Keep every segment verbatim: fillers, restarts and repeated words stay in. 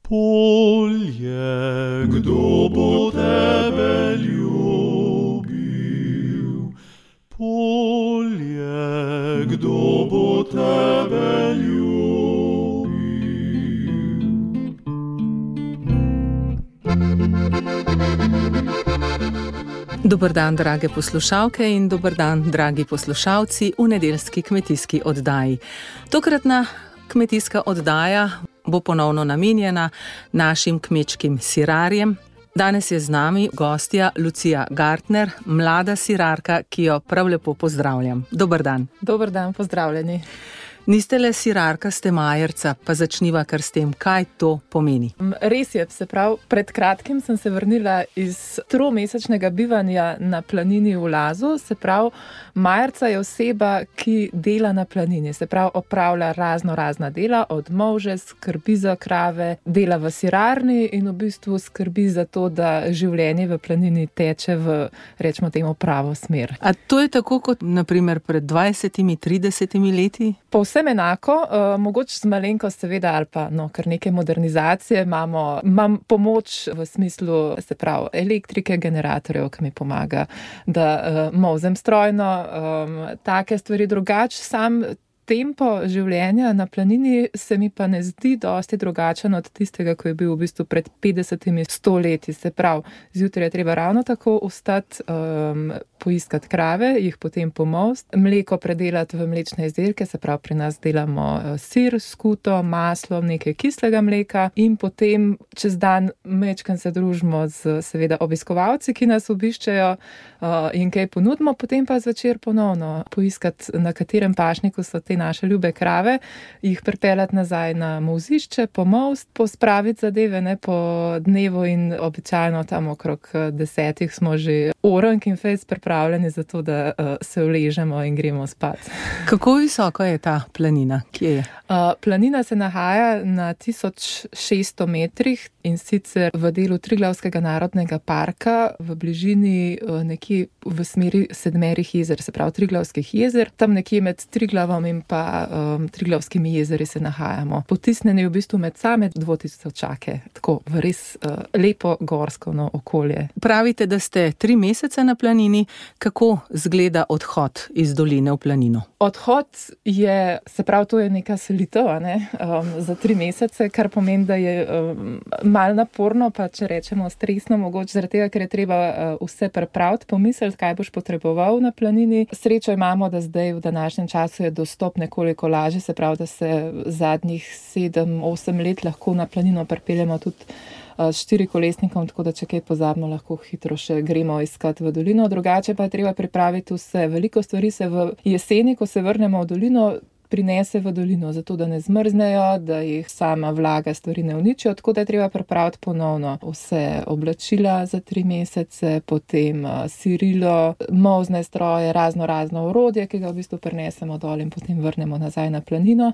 Polje, kdo bo tebe ljubil? Polje, kdo bo tebe ljubil? Dober dan, drage poslušalke in dober dan, dragi poslušalci v nedeljski kmetijski oddaji. Tokratna kmetijska oddaja bo ponovno namenjena našim kmečkim sirarjem. Danes je z nami gostja Lucija Gartner, mlada sirarka, ki jo prav lepo pozdravljam. Dober dan. Dober dan, pozdravljeni. Niste le sirarka, ste majerca, pa začniva kar s tem, kaj to pomeni. Res je, se pravi, pred kratkim sem se vrnila iz tromesečnega bivanja na planini v Lazu, se pravi, majerca je oseba, ki dela na planini, se pravi, opravlja razno razna dela, od molže, skrbi za krave, dela v sirarni in v bistvu skrbi za to, da življenje v planini teče v, rečemo temu, pravo smer. A to je tako kot, na primer, pred dvajsetimi, tridesetimi leti? Povsem enako, uh, mogoče z malenkost seveda ali pa no, kar neke modernizacije imamo, imam pomoč v smislu, se pravi, elektrike, generatorjev, ki mi pomaga, da uh, molzem strojno, um, take stvari drugače, sam tempo življenja na planini se mi pa ne zdi dosti drugačen od tistega, ko je bil v bistvu pred petdesetimi, sto leti. Se pravi, zjutraj je treba ravno tako vstati, um, poiskati krave, jih potem pomolsti, mleko predelati v mlečne izdelke, se pravi, pri nas delamo sir, skuto, maslo, nekaj kislega mleka in potem čez dan mečkam se družimo z seveda obiskovalci, ki nas obiščejo uh, in kaj ponudimo, potem pa zvečer ponovno poiskati, na katerem pašniku so te naše ljube krave, jih pripeljati nazaj na molzišče, pomolst, pospraviti zadeve, ne, po dnevu in običajno tam okrog desetih smo že orank in fejs pripravljeni za to, da uh, se uležemo in gremo spat. Kako visoko je ta planina? Kje je? Uh, planina se nahaja na tisoč šeststo metrih in sicer v delu Triglavskega narodnega parka, v bližini uh, nekje v smeri sedmerih jezer, se pravi Triglavskih jezer, tam nekje med Triglavom in pa um, Triglavskimi jezeri se nahajamo. Potisnjeni v bistvu med same dvotisočake, tako v res uh, lepo gorsko no, okolje. Pravite, da ste tri mesece na planini. Kako zgleda odhod iz doline v planino? Odhod je, se pravi, to je neka selitev, ne, um, za tri mesece, kar pomeni, da je um, malo naporno, pa če rečemo stresno, mogoče zaradi tega, ker je treba uh, vse pripraviti, pomisliti, kaj boš potreboval na planini. Srečo imamo, da zdaj v današnjem času je dostop nekoliko lažje, se pravi, da se zadnjih sedem, osem let lahko na planino pripeljemo tudi s štirikolesnikom, tako da če kaj pozabimo, lahko hitro še gremo iskati v dolino. Drugače pa je treba pripraviti vse. Veliko stvari se v jeseni, ko se vrnemo v dolino, prinese v dolino, zato da ne zmrznejo, da jih sama vlaga stvari ne uničijo, tako da je treba pripraviti ponovno vse oblačila za tri mesece, potem sirilo, molzne stroje, razno razno orodje, ki ga v bistvu prinesemo dol in potem vrnemo nazaj na planino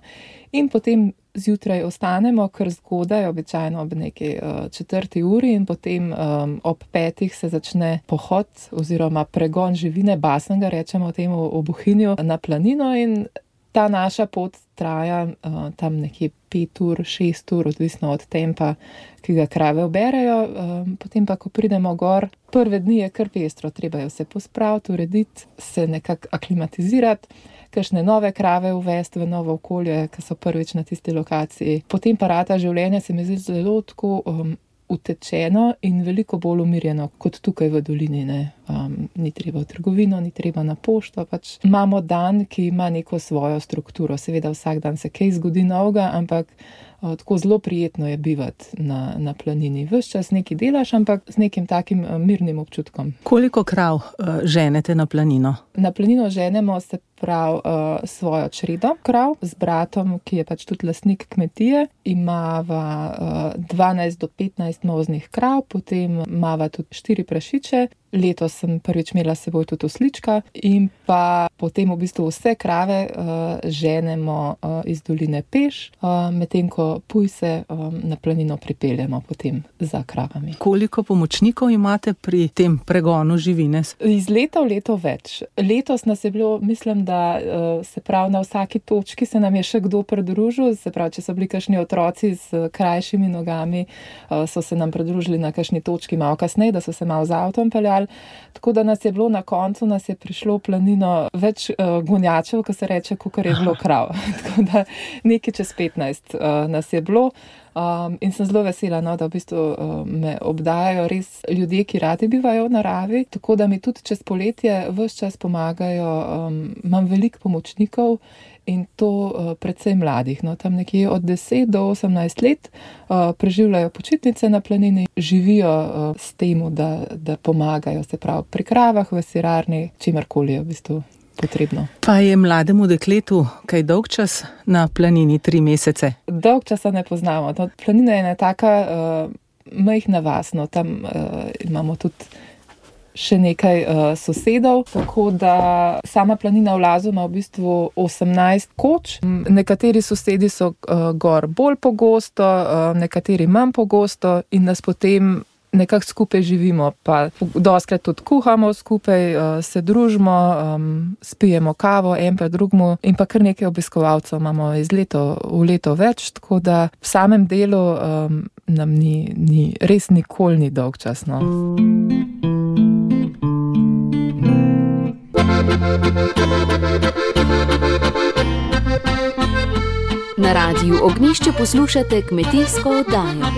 in potem zjutraj ostanemo, kar zgodaj, običajno ob neki uh, četrti uri in potem um, ob petih se začne pohod oziroma pregon živine, basanga, rečemo temu v Bohinju, na planino in ta naša pot traja uh, tam nekje pet ur, šest ur, odvisno od tempa, ki ga krave oberejo. Um, potem pa, ko pridemo gor, prve dni je kar pestro, treba je vse pospraviti, urediti, se nekako aklimatizirati, kakšne nove krave uvesti v novo okolje, ki so prvič na tisti lokaciji. Potem pa rata življenje se mi zdi zelo tako um, utečeno in veliko bolj umirjeno kot tukaj v dolini. Ne. Um, ni treba v trgovino, ni treba na pošto, pač imamo dan, ki ima neko svojo strukturo. Seveda vsak dan se kaj zgodi novega, ampak uh, tako zelo prijetno je bivati na, na planini. Ves čas nekaj delaš, ampak z nekim takim uh, mirnim občutkom. Koliko krav uh, ženete na planino? Na planino ženemo se prav uh, svojo čredo krav z bratom, ki je pač tudi lastnik kmetije. Imava uh, dvanajst do petnajst molznih krav, potem imava tudi štiri prašiče. letos sem prvič imela s seboj tudi oslička in pa potem v bistvu vse krave uh, ženemo uh, iz doline peš, uh, medtem ko pujse um, na planino pripeljemo potem za kravami. Koliko pomočnikov imate pri tem pregonu živine? Iz leta v leto več. Letos nas je bilo, mislim, da uh, se pravi na vsaki točki se nam je še kdo pridružil, se pravi, če so bili kakšni otroci z krajšimi nogami, uh, so se nam pridružili na kakšni točki malo kasneje, da so se malo z avtom peljali. Tako da nas je bilo na koncu, nas je prišlo v planino več uh, gonjačev, ko se reče, kakor je bilo krav. Tako da nekaj čez petnajst uh, nas je bilo. Um, in sem zelo vesela, no, da v bistvu um, me obdajajo res ljudje, ki radi bivajo v naravi, tako da mi tudi čez poletje ves čas pomagajo. Um, imam veliko pomočnikov in to uh, predvsem mladih, no, tam nekje od deset do osemnajst let uh, preživljajo počitnice na planini, živijo uh, s tem, da, da pomagajo, se pravi pri kravah, v sirarni, čimerkoli je v bistvu potrebno. Pa je mlademu dekletu kaj dolg čas na planini, tri mesece? Dolg časa ne poznamo. No, planina je ena taka uh, majhna vas, no, tam uh, imamo tudi še nekaj uh, sosedov, tako da sama planina v Lazu ima v bistvu osemnajst koč. Nekateri sosedi so uh, gor bolj pogosto, uh, nekateri manj pogosto in nas potem nekako skupaj živimo, pa dostakrat tudi kuhamo skupaj, se družimo, spijemo kavo, en pa drugmu in pa kar nekaj obiskovalcev imamo iz leto v leto več, tako da v samem delu um, nam ni, ni, res nikoli ni dolg čas, no. Na Radiu Ognjišče poslušate kmetijsko oddajo.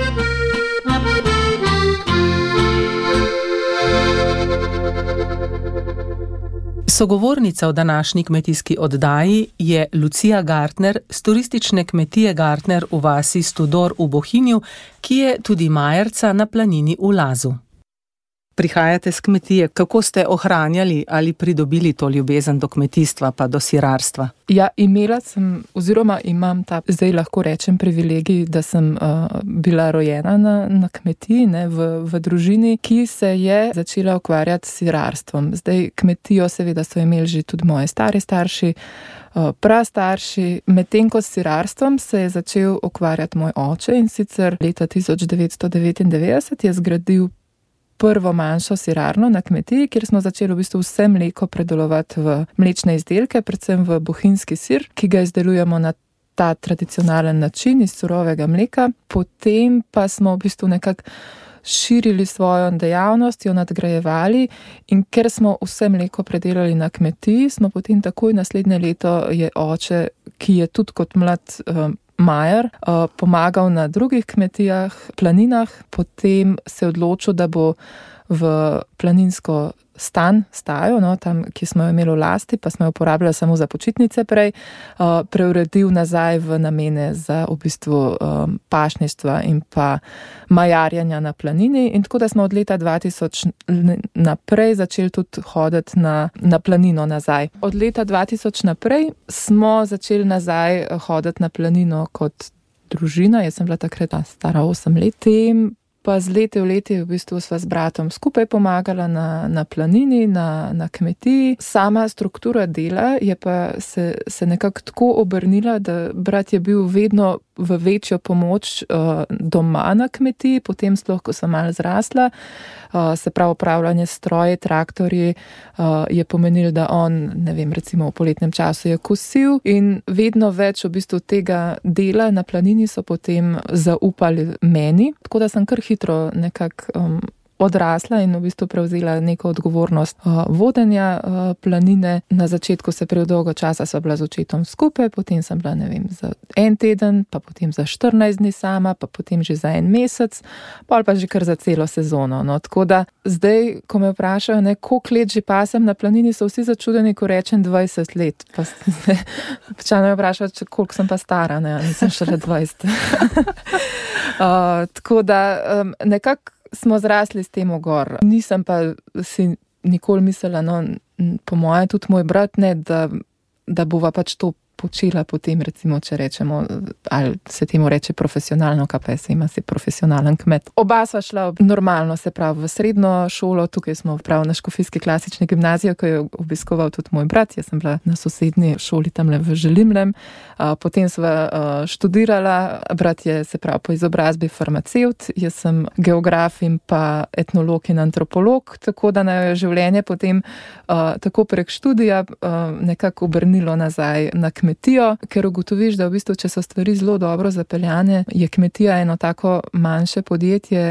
Sogovornica v današnji kmetijski oddaji je Lucija Gartner z turistične kmetije Gartner v vasi Studor v Bohinju, ki je tudi majerca na planini v Lazu. Prihajate z kmetije. Kako ste ohranjali ali pridobili to ljubezen do kmetijstva pa do sirarstva? Ja, imela sem, oziroma imam ta, zdaj lahko rečem, privilegij, da sem uh, bila rojena na, na kmetiji, ne, v, v družini, ki se je začela ukvarjati s sirarstvom. Zdaj kmetijo seveda so imeli že tudi moji stari starši, uh, prastarši, medtem ko s sirarstvom se je začel ukvarjati moj oče in sicer leta tisoč devetsto devetindevetdeset je zgradil prvo manjšo sirarno na kmetiji, kjer smo začeli v bistvu vse mleko predelovati v mlečne izdelke, predvsem v bohinjski sir, ki ga izdelujemo na ta tradicionalen način iz surovega mleka. Potem pa smo v bistvu nekako širili svojo dejavnost, jo nadgrajevali in ker smo vse mleko predelali na kmetiji, smo potem takoj naslednje leto je oče, ki je tudi kot mlad um, majer, pomagal na drugih kmetijah, planinah, potem se je odločil, da bo v planinsko stan, stajo, no, tam, ki smo jo imeli v lasti, pa smo jo uporabljali samo za počitnice prej, preuredil nazaj v namene za v bistvu pašništva in pa majarjanja na planini in tako da smo od leta dva tisoč naprej začeli tudi hoditi na, na planino nazaj. Od leta dva tisoč naprej smo začeli nazaj hoditi na planino kot družina, jaz sem bila takrat stara osem let, tem pa z leti v leti v bistvu sva z bratom skupaj pomagala na, na planini, na, na kmetiji. Sama struktura dela je pa se, se nekako tako obrnila, da brat je bil vedno v večjo pomoč uh, doma na kmetiji, potem sploh, ko sem malo zrasla, uh, se pravi upravljanje stroje, traktorji, uh, je pomenil, da on, ne vem, recimo v poletnem času je kosil in vedno več v bistvu tega dela na planini so potem zaupali meni, tako da sem kar hitro nekako um, odrasla in v bistvu prevzela neko odgovornost uh, vodenja uh, planine. Na začetku se prav dolgo časa sva bila z očetom skupaj, potem sem bila, ne vem, za en teden, pa potem za štirinajst dni sama, pa potem že za en mesec, pol pa že kar za celo sezono. No, tako da zdaj, ko me vprašajo, ne, koliko let že pasem na planini, so vsi začudeni, ko rečem dvajset let. Pa se me vprašajo, koliko sem pa stara, ne, nisem šele dvajset. uh, tako da um, nekako smo zrasli s tem gor. Nisem pa si nikoli mislila, no, po moje tudi moj brat, ne, da, da bova pač to počela potem, recimo, če rečemo, ali se temu reče profesionalno, K P S ima si profesionalen kmet. Oba sva šla normalno, se pravi, v srednjo šolo, tukaj smo prav na Škofijski klasični gimnaziji, ko je obiskoval tudi moj brat, jaz sem bila na sosednji šoli tamle v Želimlem, potem sva študirala, brat je, se pravi, po izobrazbi farmacevt, jaz sem geograf in pa etnolog in antropolog, tako da na življenje potem tako prek študija nekako obrnilo nazaj na kmetijo, ker ugotoviš, da v bistvu, če so stvari zelo dobro zapeljane, je kmetija eno tako manjše podjetje,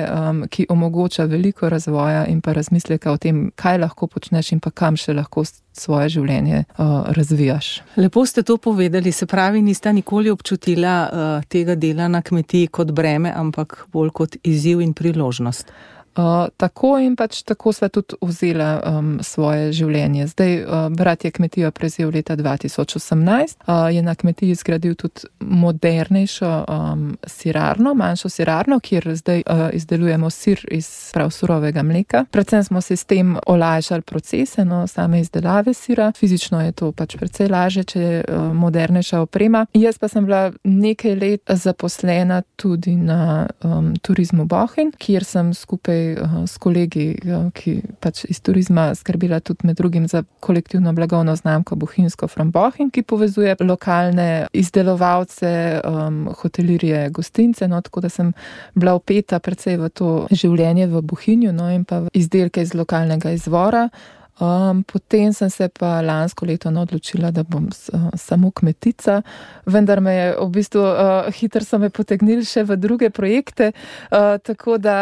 ki omogoča veliko razvoja in pa razmisleka o tem, kaj lahko počneš in pa kam še lahko svoje življenje uh, razvijaš. Lepo ste to povedali, se pravi, nista nikoli občutila uh, tega dela na kmetiji kot breme, ampak bolj kot izziv in priložnost. Uh, tako in pač tako sva tudi vzela um, svoje življenje. Zdaj, uh, brat je kmetijo prevzel leta dva tisoč osemnajst, uh, je na kmetiji zgradil tudi modernejšo um, sirarno, manjšo sirarno, kjer zdaj uh, izdelujemo sir iz prav surovega mleka. Predvsem smo se s tem olajšali procese, no, same izdelave sira. Fizično je to pač precej lažje, če je uh, modernejša oprema. Jaz pa sem bila nekaj let zaposlena tudi na um, turizmu Bohinj, kjer sem skupaj s kolegi, ki pač iz turizma skrbila tudi med drugim za kolektivno blagovno znamko Bohinjsko from Bohinj, ki povezuje lokalne izdelovalce, um, hotelirje, gostince, no, tako da sem bila vpeta precej v to življenje v Bohinju, no, in pa v izdelke iz lokalnega izvora. Um, potem sem se pa lansko leto odločila, da bom s, uh, samo kmetica, vendar me je v bistvu uh, hitro so me potegnili še v druge projekte, uh, tako da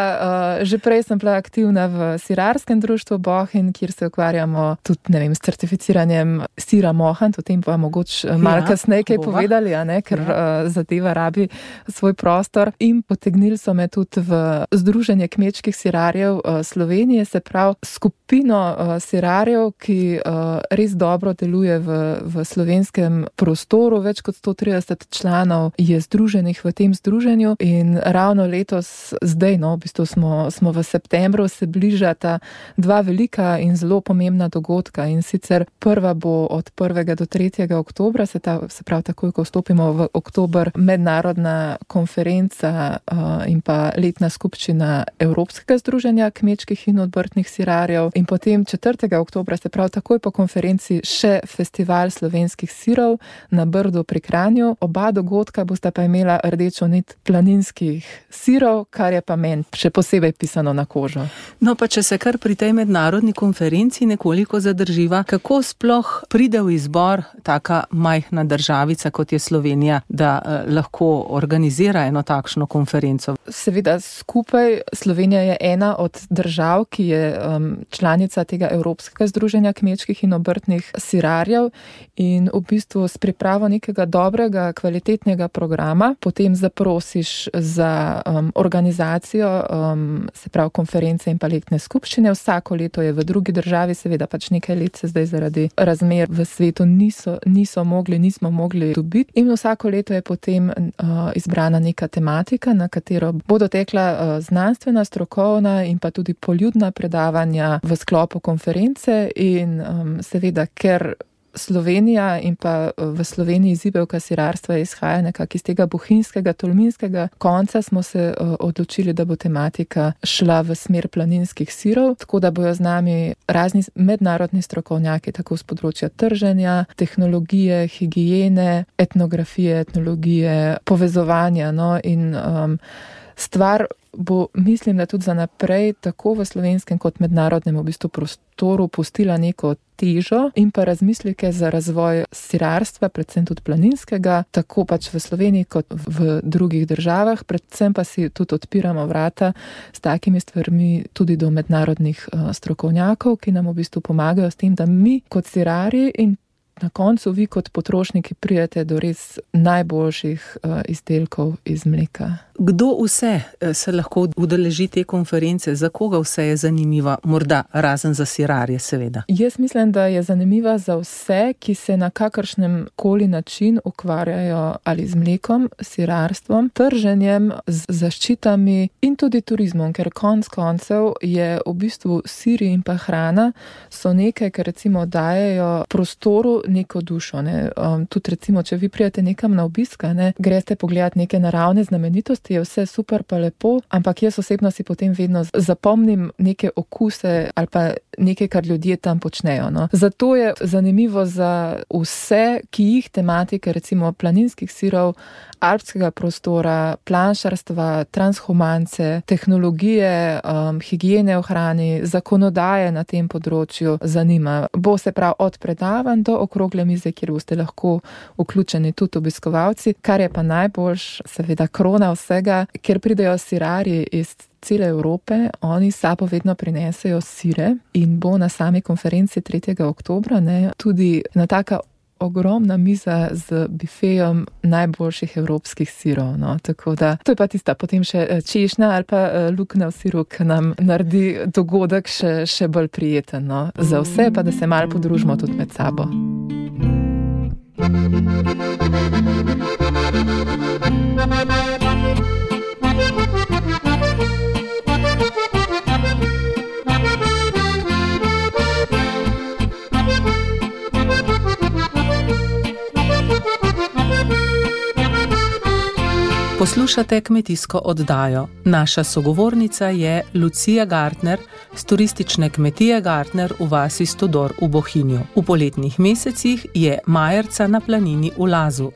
uh, že prej sem bila aktivna v sirarskem društvu Bohinj, kjer se ukvarjamo tudi, ne vem, s certificiranjem sira Mohant, o tem pa mogoče malo ja, kasneje kaj povedali, a ne, ker ja. uh, zadeva rabi svoj prostor. In potegnili so me tudi v Združenje kmečkih sirarjev uh, Slovenije, se pravi skupino uh, sirarjev, ki uh, res dobro deluje v, v slovenskem prostoru. Več kot sto trideset članov je združenih v tem združenju in ravno letos, zdaj, no, v bistvu smo, smo v septembru, se bližata dva velika in zelo pomembna dogodka in sicer prva bo od prvega do tretjega oktobra, se, ta, se pravi takoj, ko vstopimo v oktober, mednarodna konferenca uh, in pa letna skupščina Evropskega združenja kmečkih in obrtnih sirarjev in potem četrtega oktobra, se pravi takoj po konferenci, še festival slovenskih sirov na Brdu pri Kranju. Oba dogodka bosta pa imela rdečo nit planinskih sirov, kar je pa meni še posebej pisano na kožo. No pa če se kar pri tej mednarodni konferenci nekoliko zadrživa, kako sploh pride v izbor taka majhna državica, kot je Slovenija, da eh, lahko organizira eno takšno konferenco? Seveda skupaj Slovenija je ena od držav, ki je um, članica tega Evropskega združenja kmečkih in obrtnih sirarjev in v bistvu s pripravo nekega dobrega, kvalitetnega programa potem zaprosiš za um, organizacijo, um, se pravi konference in pa letne skupščine. Vsako leto je v drugi državi, seveda pač nekaj let se zdaj zaradi razmer v svetu niso, niso mogli, nismo mogli dobiti in vsako leto je potem uh, izbrana neka tematika, na katero bodo tekla uh, znanstvena, strokovna in pa tudi poljudna predavanja v sklopu konference. In um, seveda, ker Slovenija in pa v Sloveniji zibelka sirarstva izhaja nekako iz tega bohinjskega, tolminskega konca, smo se uh, odločili, da bo tematika šla v smer planinskih sirov, tako da bojo z nami razni mednarodni strokovnjaki, tako z področja trženja, tehnologije, higiene, etnografije, etnologije, povezovanja, no, in um, stvar bo, mislim, da tudi za naprej tako v slovenskem kot mednarodnem v bistvu prostoru pustila neko težo in pa razmisleke za razvoj sirarstva, predvsem tudi planinskega, tako pač v Sloveniji kot v drugih državah, predvsem pa si tudi odpiramo vrata s takimi stvarmi tudi do mednarodnih uh, strokovnjakov, ki nam v bistvu pomagajo s tem, da mi kot sirarji in na koncu vi kot potrošniki pridete do res najboljših uh, izdelkov iz mleka. Kdo vse se lahko udeleži te konference, za koga vse je zanimiva, morda razen za sirarje seveda? Jaz mislim, da je zanimiva za vse, ki se na kakršnem koli način ukvarjajo ali z mlekom, sirarstvom, trženjem, z zaščitami in tudi turizmom, ker konc koncev je v bistvu siri in pa hrana so nekaj, kar recimo dajejo prostoru neko dušo. Ne? Um, tudi recimo, če vi prijete nekam na obiska, ne, greste pogledati neke naravne znamenitosti, je vse super pa lepo, ampak jaz osebno si potem vedno zapomnim neke okuse ali pa nekaj, kar ljudje tam počnejo. No. Zato je zanimivo za vse, ki jih tematike, recimo planinskih sirov, alpskega prostora, planšarstva, transhumance, tehnologije, um, higiene v hrani, zakonodaje na tem področju zanima. Bo se prav od predavanj do okrogle mize, kjer boste lahko vključeni tudi obiskovalci, kar je pa najboljš, seveda krona vsega, ker pridejo sirarji iz cele Evrope, oni sabo vedno prinesejo sire in bo na sami konferenci tretjega oktobra ne, tudi na taka ogromna miza z bifejem najboljših evropskih sirov. No. Tako da, to je pa tista potem še češnja ali pa luknja v siru, ki nam naredi dogodek še, še bolj prijeten. No. Za vse pa, da se malo podružimo tudi med sabo. Poslušate kmetijsko oddajo. Naša sogovornica je Lucija Gartner z turistične kmetije Gartner v vasi Stodor v Bohinju. V poletnih mesecih je majerca na planini v Lazu.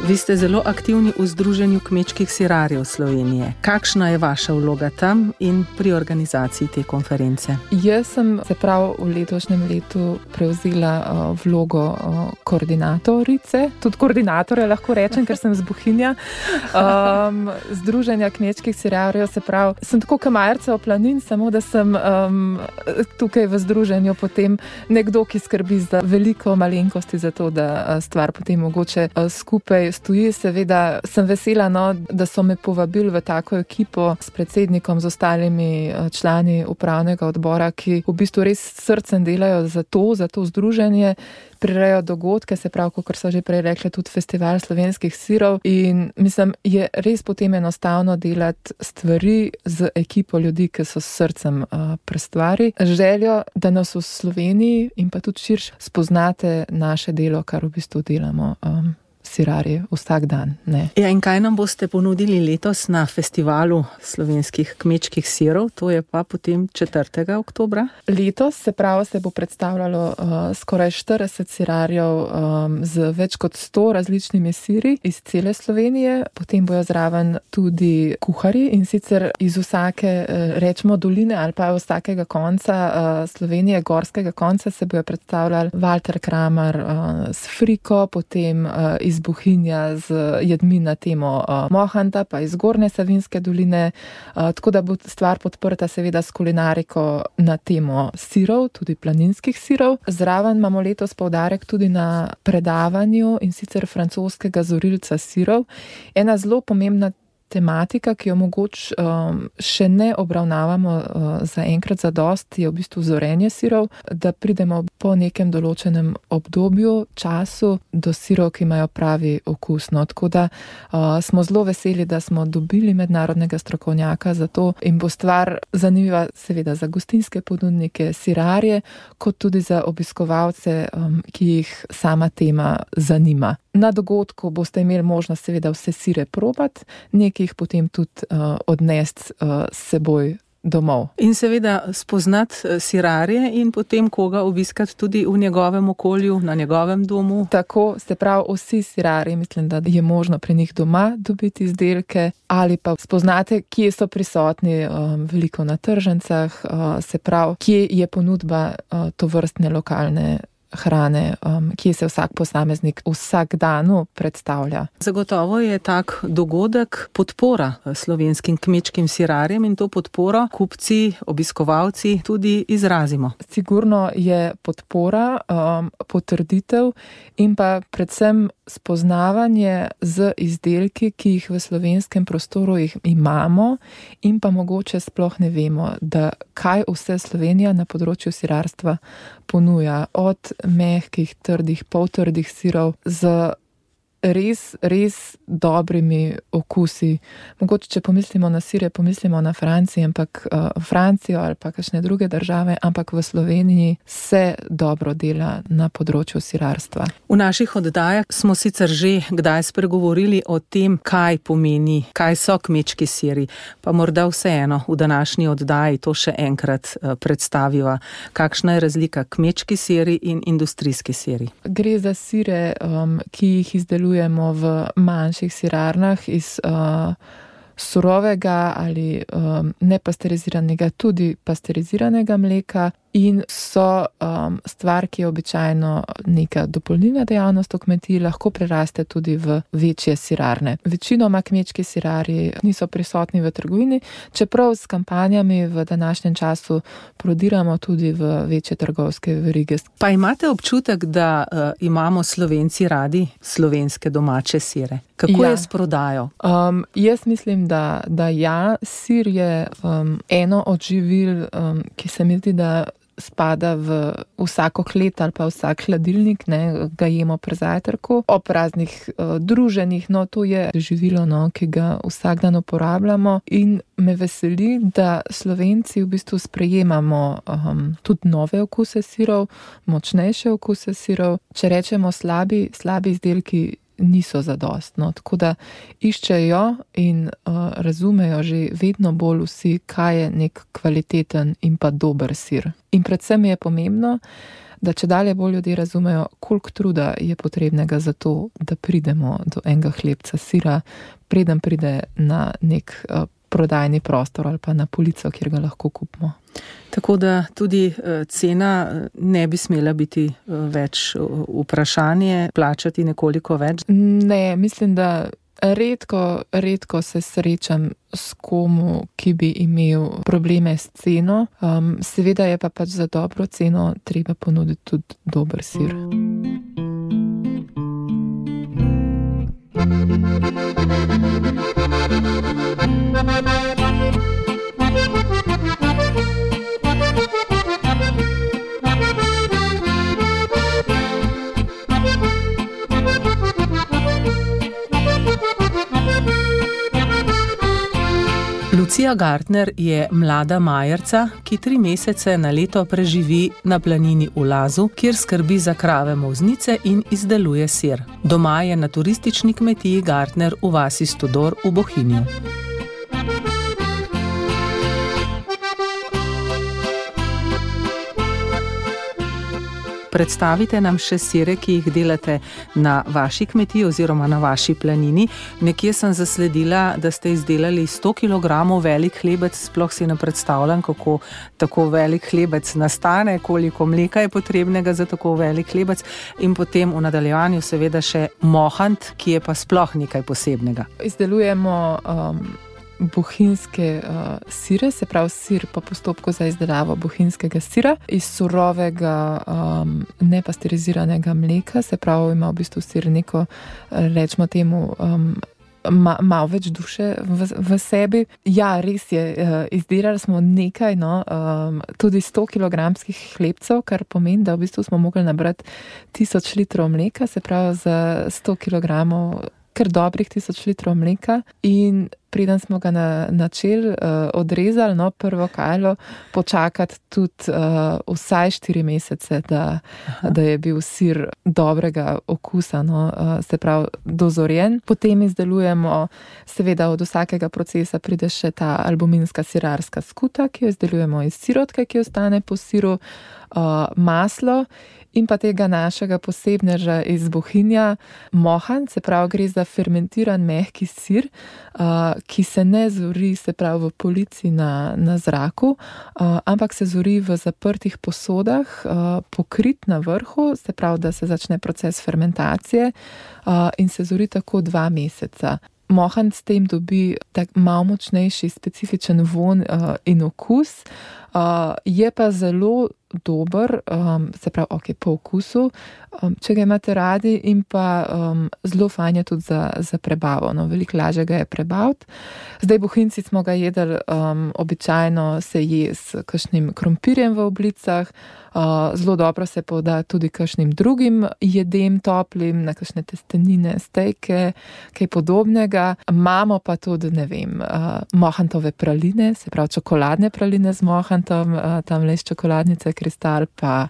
Vi ste zelo aktivni v Združenju kmečkih sirarjev Slovenije. Kakšna je vaša vloga tam in pri organizaciji te konference? Jaz sem se prav v letošnjem letu prevzela uh, vlogo uh, koordinatorice. Tudi koordinatorja lahko rečem, ker sem z Bohinja. Um, Združenja kmečkih sirarjev, se prav, sem tako kamajerca v planin, samo da sem um, tukaj v združenju potem nekdo, ki skrbi za veliko malenkosti za to, da stvar potem mogoče uh, skupaj stoji. Seveda sem vesela, no, da so me povabili v tako ekipo s predsednikom, z ostalimi člani upravnega odbora, ki v bistvu res srcem delajo za to, za to združenje, prirejajo dogodke, se pravi, kot so že prej rekli, tudi festival slovenskih sirov in mislim, je res potem enostavno delati stvari z ekipo ljudi, ki so s srcem uh, pri stvari. Željo, da nas v Sloveniji in pa tudi širše spoznate naše delo, kar v bistvu delamo. Um, sirarji vsak dan. Ne. Ja, in kaj nam boste ponudili letos na festivalu slovenskih kmečkih sirov? To je pa potem četrtega oktobra. Letos se pravi se bo predstavljalo uh, skoraj štirideset sirarjev um, z več kot sto različnimi siri iz cele Slovenije. Potem bojo zraven tudi kuharji in sicer iz vsake, uh, rečemo, doline ali pa vsakega konca uh, Slovenije, gorskega konca se bojo predstavljali Walter Kramer uh, s friko, potem uh, iz Bohinja z jedmi na temo uh, mohanta, pa iz Gornje Savinjske doline, uh, tako da bo stvar podprta seveda s kulinariko na temo sirov, tudi planinskih sirov. Zraven imamo letos poudarek tudi na predavanju in sicer francoskega zorilca sirov. Ena zelo pomembna tematika, ki jo mogoče um, še ne obravnavamo uh, za enkrat za dost, je v bistvu zorenje sirov, da pridemo po nekem določenem obdobju, času do sirov, ki imajo pravi okus. No, tako da uh, smo zelo veseli, da smo dobili mednarodnega strokovnjaka za to in bo stvar zanimiva seveda za gostinske ponudnike, sirarje, kot tudi za obiskovalce, um, ki jih sama tema zanima. Na dogodku boste imeli možnost seveda vse sire probati, nekaj jih potem tudi uh, odnesti uh, s seboj domov. In seveda spoznati sirarje in potem koga obiskati tudi v njegovem okolju, na njegovem domu. Tako, se pravi, vsi sirarji, mislim, da je možno pri njih doma dobiti izdelke ali pa spoznate, kje so prisotni um, veliko na tržnicah, uh, se pravi, kje je ponudba uh, tovrstne lokalne hrane, um, kje se vsak posameznik vsak danu predstavlja. Zagotovo je tak dogodek podpora slovenskim kmečkim sirarjem in to podporo kupci, obiskovalci tudi izrazimo. Sigurno je podpora, um, potrditev in pa predvsem spoznavanje z izdelki, ki jih v slovenskem prostoru jih imamo in pa mogoče sploh ne vemo, da kaj vse Slovenija na področju sirarstva ponuja. Od mehkih, trdih, poltrdih sirov z res, res dobrimi okusi. Mogoče, če pomislimo na sire, pomislimo na Francijo, ampak uh, Francijo ali pa kakšne druge države, ampak v Sloveniji se dobro dela na področju sirarstva. V naših oddajah smo sicer že kdaj spregovorili o tem, kaj pomeni, kaj so kmečki siri, pa morda vseeno v današnji oddaji to še enkrat uh, predstaviva. Kakšna je razlika kmečki siri in industrijski siri? Gre za sire, um, ki jih izdelujemo v manjših sirarnah iz uh, surovega ali um, nepasteriziranega, tudi pasteriziranega mleka in so um, stvar, ki je običajno neka dopolnilna dejavnost v kmetiji, lahko preraste tudi v večje sirarne. Večinoma kmečki sirarji niso prisotni v trgovini, čeprav s kampanjami v današnjem času prodiramo tudi v večje trgovske verige. Pa imate občutek, da uh, imamo Slovenci radi slovenske domače sire? Kako ja. je s prodajo? Um, jaz mislim, da, da ja, sir je um, eno od živil, um, ki se mi zdi, da spada v vsako klet ali pa vsak hladilnik, ne, ga jemo pri zajtrku, ob raznih uh, druženjih, no to je živilo, no, ki ga vsak dan uporabljamo in me veseli, da Slovenci v bistvu sprejemamo um, tudi nove okuse sirov, močnejše okuse sirov. Če rečemo slabi, slabi izdelki niso zadostno, tako da iščejo in uh, razumejo že vedno bolj vsi, kaj je nek kvaliteten in pa dober sir. In predvsem je pomembno, da če dalje bolj ljudje razumejo, koliko truda je potrebnega za to, da pridemo do enega hlebca sira, preden pride na nek uh, prodajni prostor ali pa na polico, kjer ga lahko kupimo. Tako da tudi cena ne bi smela biti več vprašanje, plačati nekoliko več? Ne, mislim, da redko, redko se srečam s komu, ki bi imel probleme s ceno. Um, seveda je pa pač za dobro ceno treba ponuditi tudi dober sir. Lucija Gartner je mlada majerca, ki tri mesece na leto preživi na planini v Lazu, kjer skrbi za krave molznice in izdeluje sir. Doma je na turistični kmetiji Gartner v vasi Stodor v Bohinju. Predstavite nam še sire, ki jih delate na vaši kmetiji oziroma na vaši planini. Nekje sem zasledila, da ste izdelali sto kilogramov velik hlebec, sploh si ne predstavljam, kako tako velik hlebec nastane, koliko mleka je potrebnega za tako velik hlebec in potem v nadaljevanju seveda še mohant, ki je pa sploh nekaj posebnega. Izdelujemo um, bohinjske uh, sire, se pravi sir po postopku za izdelavo bohinjskega sira iz surovega um, nepasteriziranega mleka, se pravi ima v bistvu sir neko, rečemo temu, um, ma, malo več duše v, v sebi. Ja, res je, uh, izdelali smo nekaj, no, um, tudi sto kilogramskih hlebcev, kar pomeni, da v bistvu smo mogli nabrati tisoč litrov mleka, se pravi za sto kilogramov kar dobrih tisoč litrov mleka in preden smo ga na, načeli uh, odrezali, no, prvo kajlo, počakati tudi uh, vsaj štiri mesece, da, da je bil sir dobrega okusa, no, uh, se pravi dozorjen. Potem izdelujemo, seveda od vsakega procesa pride še ta albuminska sirarska skuta, ki jo izdelujemo iz sirotke, ki ostane po siru, uh, maslo in pa tega našega posebneža iz Bohinja, mohan, se pravi gre za fermentiran mehki sir, uh, ki se ne zori, se pravi v polici na, na zraku, uh, ampak se zori v zaprtih posodah, uh, pokrit na vrhu, se pravi, da se začne proces fermentacije uh, in se zori tako dva meseca. Mohant s tem dobi tak malo močnejši, specifičen vonj uh, in okus, uh, je pa zelo dober, um, se pravi, ok, po okusu, um, če ga imate radi, in pa um, zelo fajn je tudi za, za prebavo, no, veliko lažje ga je prebaviti. Zdaj bohinjci smo ga jedli, um, običajno se je s kakšnim krompirjem v oblicah, uh, zelo dobro se poda tudi kakšnim drugim jedem toplim, na kakšne testenine, stejke, kaj podobnega. Imamo pa tudi, ne vem, uh, mohantove praline, se pravi čokoladne praline z mohantom, uh, tam le iz čokoladnice Kristal, pa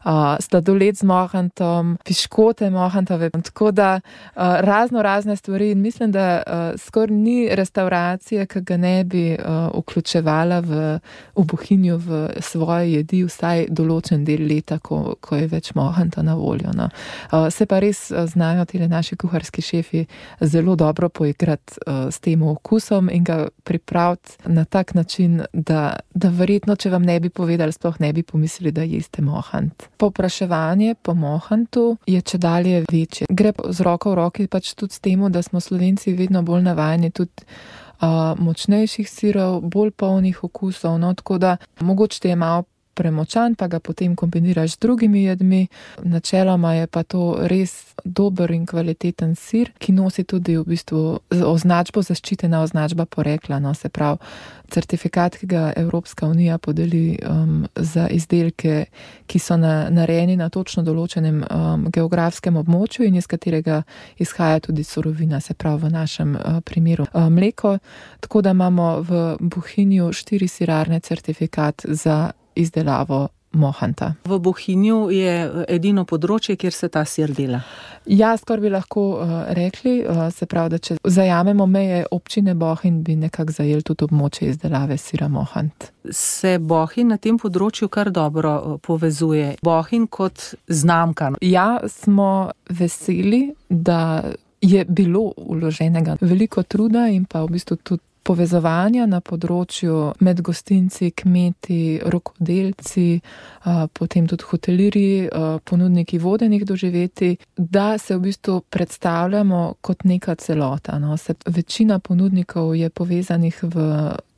uh, sladoled z mohantom, piškote mohantove, tako da uh, razno razne stvari, in mislim, da uh, skoraj ni restauracije, ki ga ne bi uh, vključevala v, v Bohinju v svoje jedi vsaj določen del leta, ko, ko je več mohanta na voljo. No. Uh, se pa res uh, znajo tile naši kuharski šefi zelo dobro poigrati uh, s tem okusom in ga pripraviti na tak način, da, da verjetno, če vam ne bi povedali, sploh ne bi pomislili, mislili, da jeste mohant. Povpraševanje po mohantu je čedalje večje. Gre z roko v roki pač tudi s temu, da smo Slovenci vedno bolj navajeni tudi uh, močnejših sirov, bolj polnih okusov, no, tako da mogoče te je malo premočan, pa ga potem kombiniraš z drugimi jedmi. Načeloma je pa to res dober in kvaliteten sir, ki nosi tudi v bistvu označbo, zaščitena označba porekla, no, se pravi certifikat, ki ga Evropska unija podeli um, za izdelke, ki so na, narejeni na točno določenem um, geografskem območju in iz katerega izhaja tudi surovina, se pravi v našem uh, primeru uh, mleko, tako da imamo v Bohinju štiri sirarne certifikat za izdelavo mohanta. V Bohinju je edino področje, kjer se ta sir dela. Ja, skoraj bi lahko uh, rekli, uh, se pravi, da če zajamemo meje občine Bohinj, bi nekako zajeli tudi območje izdelave sira mohant. Se Bohinj na tem področju kar dobro povezuje. Bohinj kot znamka. Ja, smo veseli, da je bilo vloženega veliko truda in pa v bistvu tudi povezovanja na področju med gostinci, kmeti, rokodelci, potem tudi hotelirji, ponudniki vodenih doživetij, da se v bistvu predstavljamo kot neka celota. No. Se, večina ponudnikov je povezanih v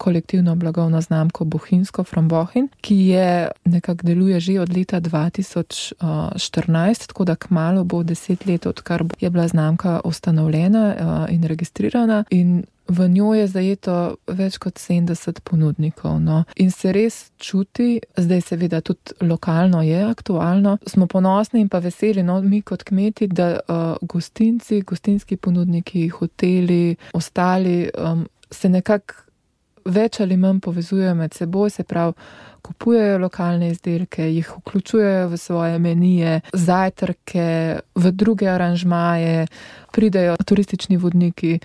kolektivno blagovno znamko Bohinjsko from Bohinj, ki je nekako deluje že od leta dva tisoč štirinajst, tako da kmalu bo deset let, odkar je bila znamka ustanovljena in registrirana, in v njo je zajeto več kot sedemdeset ponudnikov. No. In se res čuti, zdaj seveda tudi lokalno je aktualno, smo ponosni in pa veseli, no, mi kot kmeti, da uh, gostinci, gostinski ponudniki, hoteli, ostali um, se nekako več ali manj povezujejo med seboj, se pravi, kupujejo lokalne izdelke, jih vključujejo v svoje menije, zajtrke, v druge aranžmaje, pridejo turistični vodniki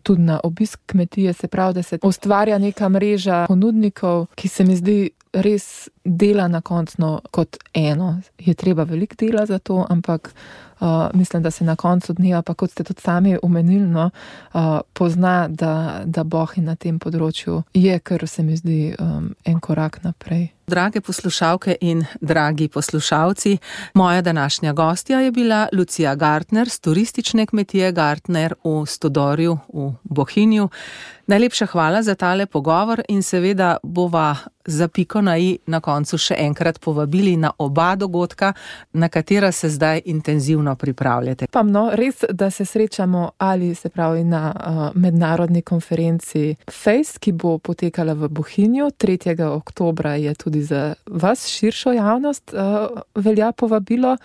tudi na obisk kmetije, se pravi, da se ustvarja neka mreža ponudnikov, ki se mi zdi res dela na koncu kot eno. Je treba veliko dela za to, ampak uh, mislim, da se na koncu dneva, pa kot ste tudi sami omenili, no, uh, pozna, da, da Bohinj na tem področju je, kar se mi zdi um, en korak naprej. Drage poslušalke in dragi poslušalci, moja današnja gostja je bila Lucija Gartner z turistične kmetije Gartner v Stodorju v Bohinju. Najlepša hvala za tale pogovor in seveda bova za piko na i na koncu še enkrat povabili na oba dogodka, na katera se zdaj intenzivno pripravljate. Pa no, res, da se srečamo ali se pravi na uh, mednarodni konferenci Face, ki bo potekala v Bohinju. tretjega oktobra je tudi za vas širšo javnost uh, velja povabilo.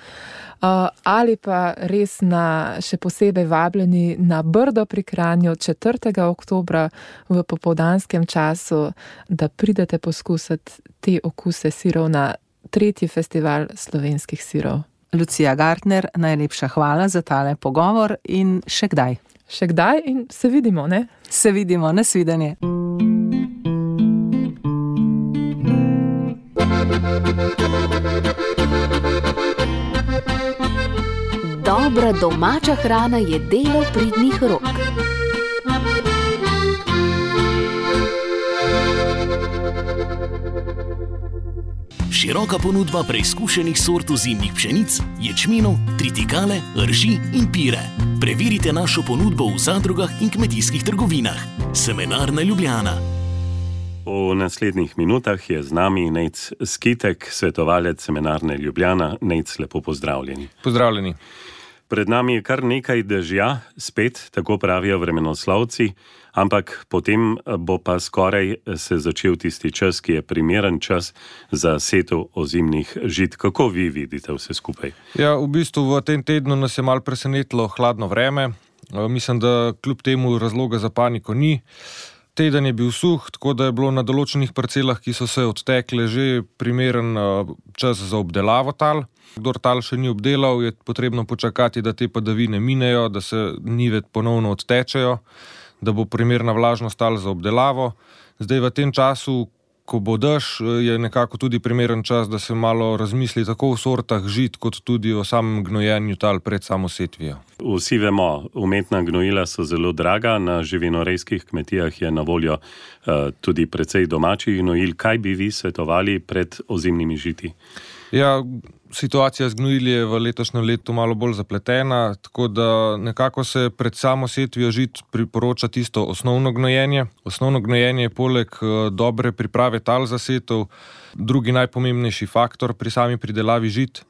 Uh, ali pa res na še posebej vabljeni na Brdo pri Kranju četrtega oktobra v popoldanskem času, da pridete poskusiti te okuse sirov na tretji festival slovenskih sirov. Lucija Gartner, najlepša hvala za tale pogovor in še kdaj. Še kdaj in se vidimo, ne? Se vidimo, nasvidenje. Dobra domača hrana je delo pridnih rok. široka ponudba preizkušenih sort ozimnih pšenic, ječmenov, tritikale, rži in pire. Preverite našo ponudbo v zadrugah in kmetijskih trgovinah. Semenarna Ljubljana. V naslednjih minutah je z nami Nejc Skitek, svetovalec Semenarne Ljubljana. Nejc, lepo pozdravljeni. Pozdravljeni. Pred nami je kar nekaj dežja, spet, tako pravijo vremenoslovci, ampak potem bo pa skoraj se začel tisti čas, ki je primeren čas za setev ozimnih žit. Kako vi vidite vse skupaj? Ja, v bistvu v tem tednu nas je malo presenetilo hladno vreme. Mislim, da kljub temu razloga za paniko ni. Teden je bil suh, tako da je bilo na določenih parcelah, ki so se odtekle, že primeren čas za obdelavo tal. Kdor tal še ni obdelal, je potrebno počakati, da te padavine minejo, da se njive ponovno odtečejo, da bo primerna vlažnost tal za obdelavo. Zdaj v tem času, ko bo dež, je nekako tudi primeren čas, da se malo razmisli tako o sortah žit, kot tudi o samem gnojenju tal pred samo setvijo. Vsi vemo, umetna gnojila so zelo draga, na živinorejskih kmetijah je na voljo uh, tudi precej domačih gnojil. Kaj bi vi svetovali pred ozimnimi žiti? Ja, situacija z gnojili je v letošnjem letu malo bolj zapletena, tako da nekako se pred samo setvijo žit priporoča tisto osnovno gnojenje. Osnovno gnojenje je poleg dobre priprave tal za setev drugi najpomembnejši faktor pri sami pridelavi žit.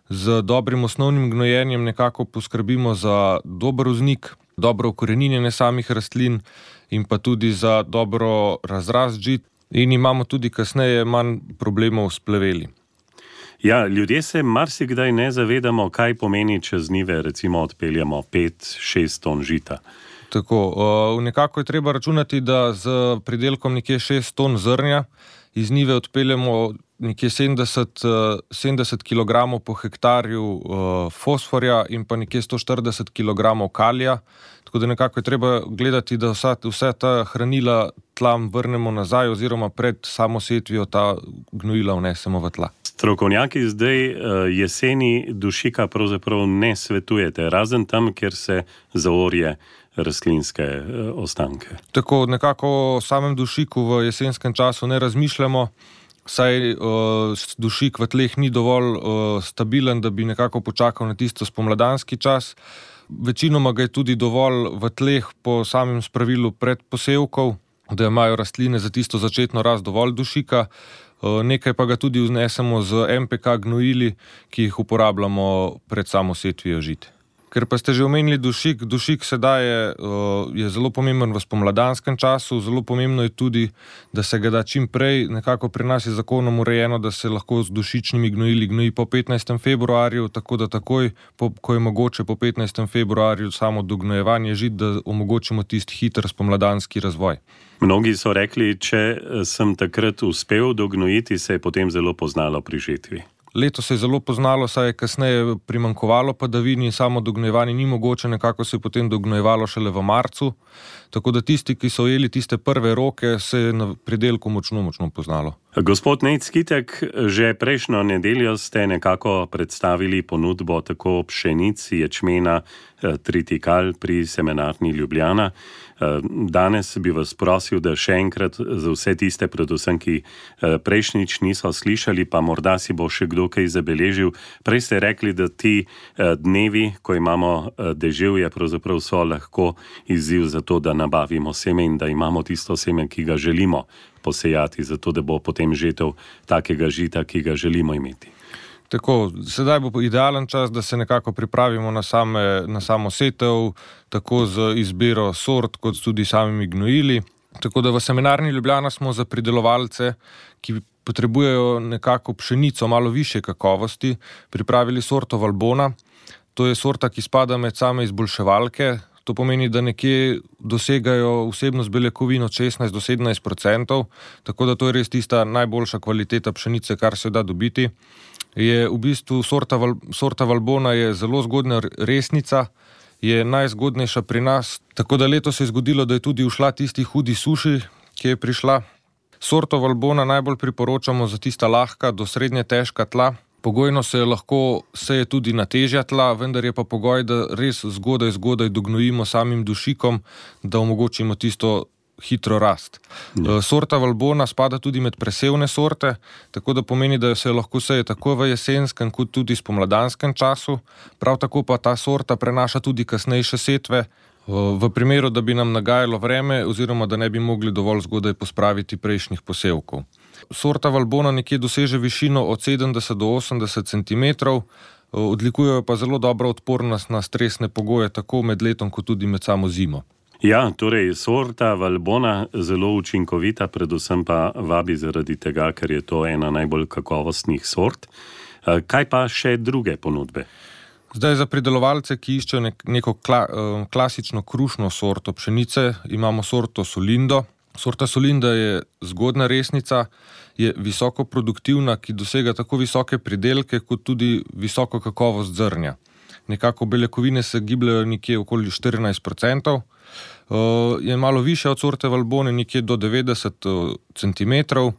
Z dobrim osnovnim gnojenjem nekako poskrbimo za dober vznik, dobro ukoreninjenje samih rastlin in pa tudi za dobro razrast žit in imamo tudi kasneje manj problemov s pleveli. Ja, ljudje se marsikdaj ne zavedamo, kaj pomeni, če z njive recimo odpeljemo pet, šest ton žita. Tako, uh, nekako je treba računati, da z pridelkom nekje šest ton zrnja iz njive odpeljemo nekje sedemdeset, sedemdeset kilogramov po hektarju uh, fosforja in pa nekje sto štirideset kilogramov kalija. Tako da nekako je treba gledati, da vsa, vse ta hranila tlam vrnemo nazaj oziroma pred samo setvijo ta gnojila vnesemo v tla. Strokovnjaki zdaj jeseni dušika pravzaprav ne svetujete, razen tam, kjer se zaorje rastlinske ostanke. Tako, nekako o samem dušiku v jesenskem času ne razmišljamo, saj uh, dušik v tleh ni dovolj uh, stabilen, da bi nekako počakal na tisto spomladanski čas. Večinoma ga je tudi dovolj v tleh po samem spravilu pred posevkov, da imajo rastline za tisto začetno rast dovolj dušika. Nekaj pa ga tudi vznesemo z em pe ka gnojili, ki jih uporabljamo pred samo setvijo žit. Ker pa ste že omenili dušik, dušik sedaj je, je zelo pomemben v spomladanskem času, zelo pomembno je tudi, da se ga da čim prej. Nekako pri nas je zakonom urejeno, da se lahko z dušičnimi gnojili gnoji po petnajstem februarju, tako da takoj, po, ko je mogoče po petnajstem februarju samo dognojevanje žit, da omogočimo tisti hiter spomladanski razvoj. Mnogi so rekli, če sem takrat uspel dognojiti, se je potem zelo poznalo pri žetvi. Leto se je zelo poznalo, saj je kasneje primanjkovalo padavin in samo dognojevanje ni mogoče, nekako se je potem dognojevalo šele v marcu. Tako da tisti, ki so ujeli tiste prve roke, se je na pridelku močno, močno poznalo. Gospod Nejc Skitek, že prejšnjo nedeljo ste nekako predstavili ponudbo tako pšenic, ječmena, tritikal pri Semenarni Ljubljana. Danes bi vas prosil, da še enkrat za vse tiste, predvsem, ki prejšnjič niso slišali, pa morda si bo še kdo kaj zabeležil. Prej ste rekli, da ti dnevi, ko imamo deževje, pravzaprav so lahko izziv za to, da nabavimo seme in da imamo tisto seme, ki ga želimo posejati, zato da bo potem žetev takega žita, ki ga želimo imeti. Tako, sedaj bo idealen čas, da se nekako pripravimo na, same, na samo setev, tako z izbiro sort, kot tudi samimi gnojili. Tako da v Semenarni Ljubljana smo za pridelovalce, ki potrebujejo nekako pšenico malo višje kakovosti, pripravili sorto Valbona. To je sorta, ki spada med same izboljševalke. To pomeni, da nekje dosegajo vsebnost beljakovin od šestnajst do sedemnajst procentov, tako da to je res tista najboljša kvaliteta pšenice, kar se da dobiti. Je v bistvu sorta, Val, sorta Valbona je zelo zgodna resnica, je najzgodnejša pri nas, tako da letos se je zgodilo, da je tudi ušla tisti hudi suši, ki je prišla. Sorto Valbona najbolj priporočamo za tista lahka do srednje težka tla. Pogojno se lahko seje tudi na težja tla, vendar je pa pogoj, da res zgodaj, zgodaj dognojimo samim dušikom, da omogočimo tisto hitro rast. Ja. Sorta Valbona spada tudi med presevne sorte, tako da pomeni, da se lahko seje tako v jesenskem kot tudi spomladanskem času. Prav tako pa ta sorta prenaša tudi kasnejše setve, v primeru, da bi nam nagajalo vreme oziroma da ne bi mogli dovolj zgodaj pospraviti prejšnjih posevkov. Sorta Valbona nekje doseže višino od sedemdeset do osemdeset centimetrov, odlikujejo pa zelo dobro odpornost na stresne pogoje, tako med letom, kot tudi med samo zimo. Ja, torej, sorta Valbona zelo učinkovita, predvsem pa vabi zaradi tega, ker je to ena najbolj kakovostnih sort. Kaj pa še druge ponudbe? Zdaj, za pridelovalce, ki iščejo nek, neko kla, klasično krušno sorto pšenice, imamo sorto Solindo. Sorta Solinda je zgodna resnica, je visoko produktivna, ki dosega tako visoke pridelke, kot tudi visoko kakovost zrnja. Nekako beljakovine se gibljajo nekje okoli štirinajst procentov, je malo više od sorte Valbone, nekje do devetdeset centimetrov.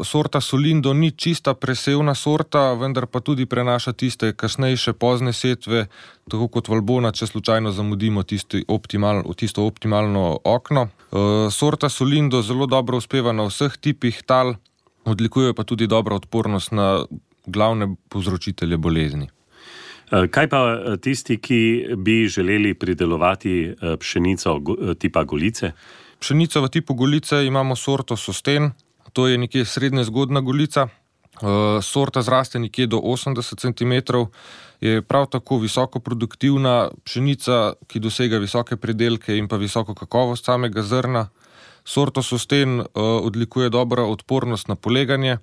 Sorta Solindo ni čista presevna sorta, vendar pa tudi prenaša tiste kasnejše pozne setve, tako kot Valbona, če slučajno zamudimo tisto, optimal, tisto optimalno okno. Sorta Solindo zelo dobro uspeva na vseh tipih tal, odlikuje pa tudi dobro odpornost na glavne povzročitelje bolezni. Kaj pa tisti, ki bi želeli pridelovati pšenico tipa Golice? Pšenico v tipu Golice imamo sorto Sosten. To je nekje srednje zgodna golica, sorta zraste nekje do osemdeset centimetrov, je prav tako visoko produktivna pšenica, ki dosega visoke pridelke in pa visoko kakovost samega zrna. Sorto Sosten odlikuje dobro odpornost na poleganje,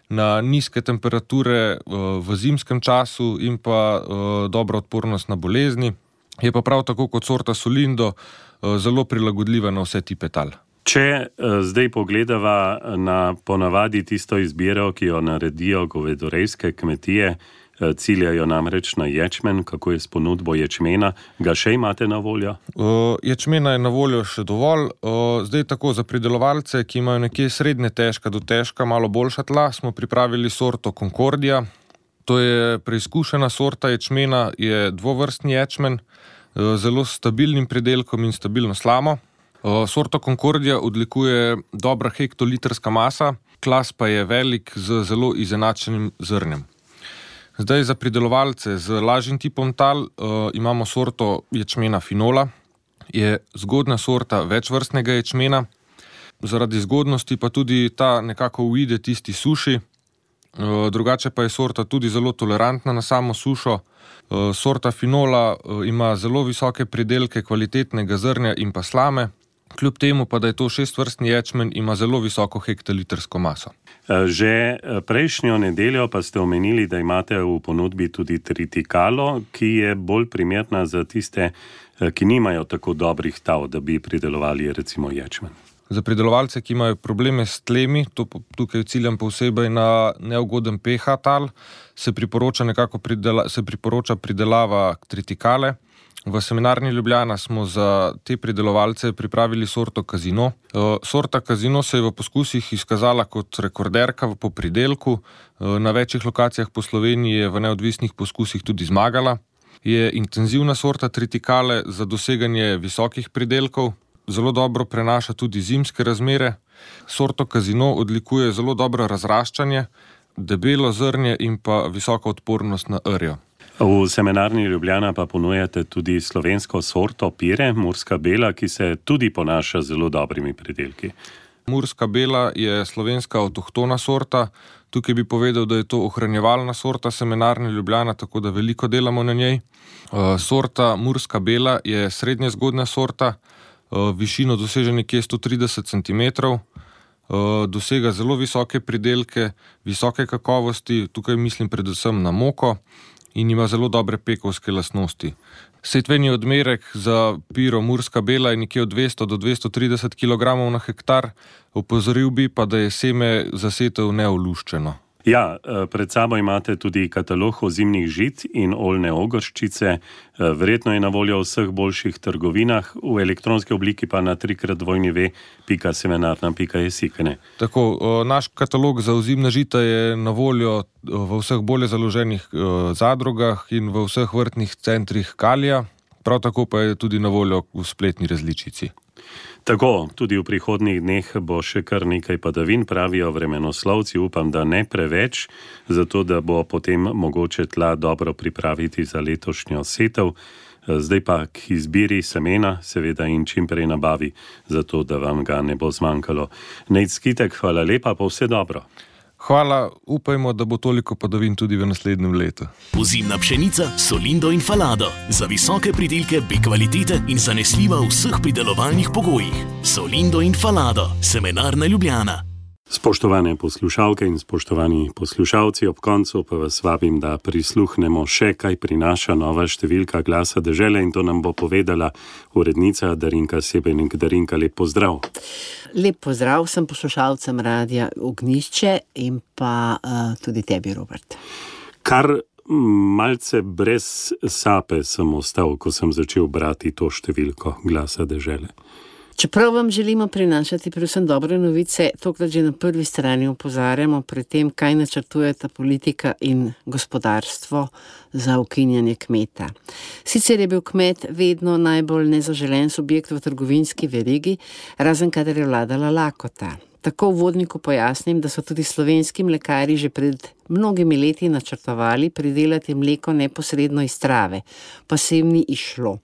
na nizke temperature v zimskem času in pa dobro odpornost na bolezni. Je pa prav tako kot sorta Solindo zelo prilagodljiva na vse tipe tal. Če zdaj pogledava na ponavadi tisto izbiro, ki jo naredijo govedorejske kmetije, ciljajo namreč na ječmen, kako je s ponudbo ječmena, ga še imate na voljo? Uh, ječmena je na voljo še dovolj. Uh, zdaj tako za pridelovalce, ki imajo nekje srednje težka do težka, malo boljša tla, smo pripravili sorto Concordia. To je preizkušena sorta ječmena, je dvovrstni ječmen, uh, zelo stabilnim pridelkom in stabilno slamo. Sorto Concordia odlikuje dobra hektolitrska masa, klas pa je velik z zelo izenačenim zrnjem. Zdaj za pridelovalce z lažjim tipom tal uh, imamo sorto ječmena Finola, je zgodna sorta večvrstnega ječmena, zaradi zgodnosti pa tudi ta nekako uide tisti suši, uh, drugače pa je sorta tudi zelo tolerantna na samo sušo. Uh, sorta Finola uh, ima zelo visoke pridelke kvalitetnega zrnja in pa slame. Kljub temu pa, da je to šestvrstni ječmen, ima zelo visoko hektolitrsko maso. Že prejšnjo nedeljo pa ste omenili, da imate v ponudbi tudi tritikalo, ki je bolj primerna za tiste, ki nimajo tako dobrih tal, da bi pridelovali recimo ječmen. Za pridelovalce, ki imajo probleme s tlemi, to tukaj ciljam posebej na neugoden pH tal, se priporoča nekako pridela, se priporoča pridelava tritikale. V semenarni Ljubljana smo za te pridelovalce pripravili sorto Casino. Sorta Casino se je v poskusih izkazala kot rekorderka po pridelku. Na večjih lokacijah po Sloveniji je v neodvisnih poskusih tudi zmagala. Je intenzivna sorta tritikale za doseganje visokih pridelkov. Zelo dobro prenaša tudi zimske razmere. Sorto Casino odlikuje zelo dobro razraščanje, debelo zrnje in pa visoko odpornost na rjo. V semenarni Ljubljana pa ponujate tudi slovensko sorto Pire, Murska Bela, ki se tudi ponaša z zelo dobrimi pridelki. Murska Bela je slovenska avtohtona sorta. Tukaj bi povedal, da je to ohranjevalna sorta semenarne Ljubljana, tako da veliko delamo na njej. Sorta Murska Bela je srednje zgodna sorta, višino doseže nekje sto trideset centimetrov, dosega zelo visoke pridelke, visoke kakovosti, tukaj mislim predvsem na moko, in ima zelo dobre pekovske lastnosti. Setveni odmerek za Piro Murska Bela je nekje od dvesto do dvesto trideset kilogramov na hektar, opozoril bi pa, da je seme za setev neoluščeno. Ja, pred sabo imate tudi katalog ozimnih žit in oljne ogrščice. Verjetno je na voljo v vseh boljših trgovinah, v elektronski obliki pa na trikrat dvojni ve pika semenarna pika es i. Tako, naš katalog za ozimna žita je na voljo v vseh bolje založenih zadrugah in v vseh vrtnih centrih Kalija, prav tako pa je tudi na voljo v spletni različici. Tako, tudi v prihodnjih dneh bo še kar nekaj padavin, pravijo vremenoslovci, upam, da ne preveč, zato da bo potem mogoče tla dobro pripraviti za letošnjo setev. Zdaj pa k izbiri semena, seveda in čim prej nabavi, zato da vam ga ne bo zmanjkalo. Nejc Skitek, hvala lepa, pa vse dobro. Hvala, upajmo, da bo toliko padavin tudi v naslednjem letu. Ozimna pšenica, solindo in falado. Za visoke pridelke B kvalitete in zanesljiva v vseh pridelovalnih pogojih. Solindo in falado, Semenarna Ljubljana. Spoštovane poslušalke in spoštovani poslušalci, ob koncu pa vas vabim, da prisluhnemo še, kaj prinaša nova številka Glasa dežele, in to nam bo povedala urednica Darinka Sebenik. Darinka, lep pozdrav. Lep pozdrav vsem poslušalcem Radia Ognjišče in pa uh, tudi tebi, Robert. Kar malce brez sape sem ostal, ko sem začel brati to številko Glasa dežele. Čeprav vam želimo prinašati predvsem dobre novice, tokrat že na prvi strani opozarjamo pred tem, kaj načrtujeta politika in gospodarstvo za ukinjanje kmeta. Sicer je bil kmet vedno najbolj nezaželen subjekt v trgovinski verigi, razen kadar je vladala lakota. Tako v vodniku pojasnim, da so tudi slovenski mlekarji že pred mnogimi leti načrtovali pridelati mleko neposredno iz trave, pa se jim ni išlo.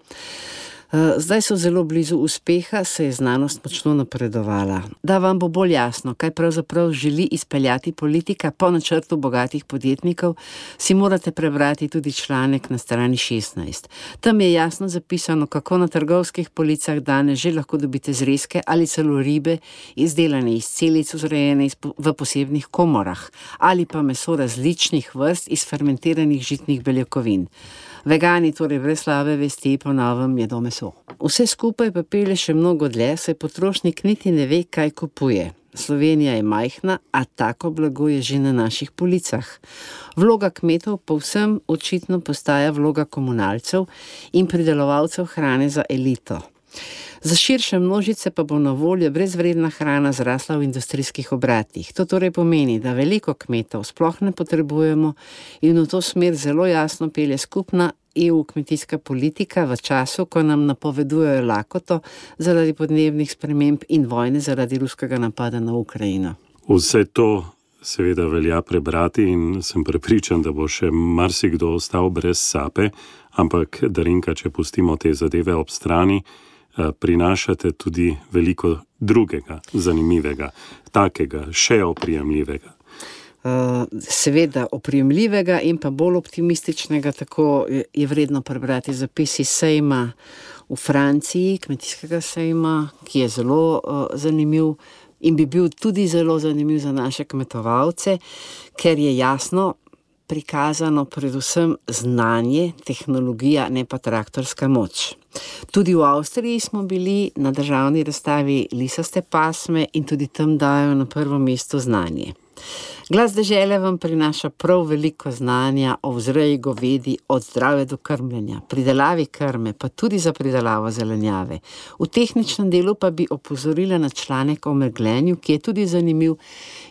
Zdaj so zelo blizu uspeha, se je znanost močno napredovala. Da vam bo bolj jasno, kaj pravzaprav želi izpeljati politika po načrtu bogatih podjetnikov, si morate prebrati tudi članek na strani šestnajst. Tam je jasno zapisano, kako na trgovskih policah danes že lahko dobite zrezke ali celo ribe, izdelane iz celic, vzrejene v posebnih komorah, ali pa meso različnih vrst iz fermentiranih žitnih beljakovin. Vegani torej brez slabe vesti po novem jedo meso. Vse skupaj pa pelje še mnogo dlje, saj potrošnik niti ne ve, kaj kupuje. Slovenija je majhna, a tako blago je že na naših policah. Vloga kmetov povsem očitno postaja vloga komunalcev in pridelovalcev hrane za elito. Za širše množice pa bo na voljo brezvredna hrana zrasla v industrijskih obratih. To torej pomeni, da veliko kmetov sploh ne potrebujemo in v to smer zelo jasno pelje skupna E U kmetijska politika v času, ko nam napovedujejo lakoto zaradi podnebnih sprememb in vojne zaradi ruskega napada na Ukrajino. Vse to seveda velja prebrati in sem prepričan, da bo še marsikdo ostal brez sape, ampak Darinka, če pustimo te zadeve ob strani, prinašate tudi veliko drugega, zanimivega, takega, še oprijemljivega. Uh, seveda oprijemljivega in pa bolj optimističnega, tako je vredno prebrati zapisi sejma v Franciji, kmetijskega sejma, ki je zelo uh, zanimiv in bi bil tudi zelo zanimiv za naše kmetovalce, ker je jasno prikazano predvsem znanje, tehnologija, ne pa traktorska moč. Tudi v Avstriji smo bili na državni razstavi lisaste pasme in tudi tam dajo na prvo mesto znanje. Glas dežele vam prinaša prav veliko znanja o vzreji govedi, od zdrave do krmljenja, pridelavi krme, pa tudi za pridelavo zelenjave. V tehničnem delu pa bi opozorila na članek o megljenju, ki je tudi zanimiv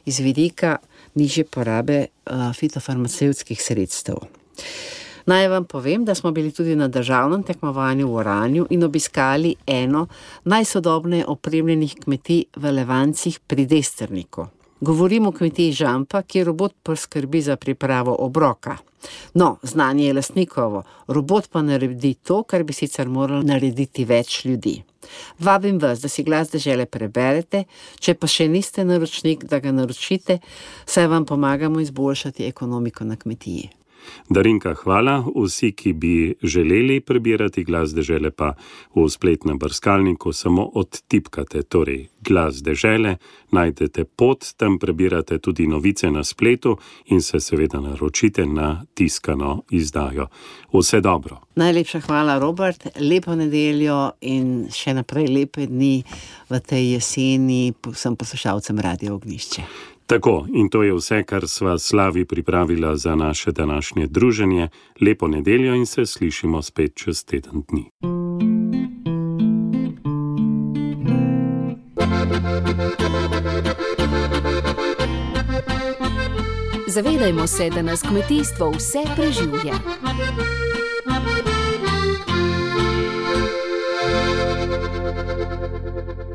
iz vidika nižje porabe uh, fitofarmacevtskih sredstev. Naj vam povem, da smo bili tudi na državnem tekmovanju v Oranju in obiskali eno najsodobneje opremljenih kmetij v Levancih pri Desterniku. Govorim o kmetiji Žampa, kjer robot poskrbi za pripravo obroka. No, znanje je lastnikovo, robot pa naredi to, kar bi sicer moralo narediti več ljudi. Vabim vas, da si Glas dežele preberete, če pa še niste naročnik, da ga naročite, saj vam pomagamo izboljšati ekonomiko na kmetiji. Darinka, hvala. Vsi, ki bi želeli prebirati Glas dežele, pa v spletnem brskalniku samo odtipkate, torej Glas dežele, najdete pot, tam prebirate tudi novice na spletu in se seveda naročite na tiskano izdajo. Vse dobro. Najlepša hvala, Robert. Lepo nedeljo in še naprej lepe dni v tej jeseni vsem poslušalcem Radia Ognjišče. Tako, in to je vse, kar sva Slavi pripravila za naše današnje druženje. Lepo nedeljo in se slišimo spet čez teden dni. Zavedajmo se, da nas kmetijstvo vse preživlja. Thank you.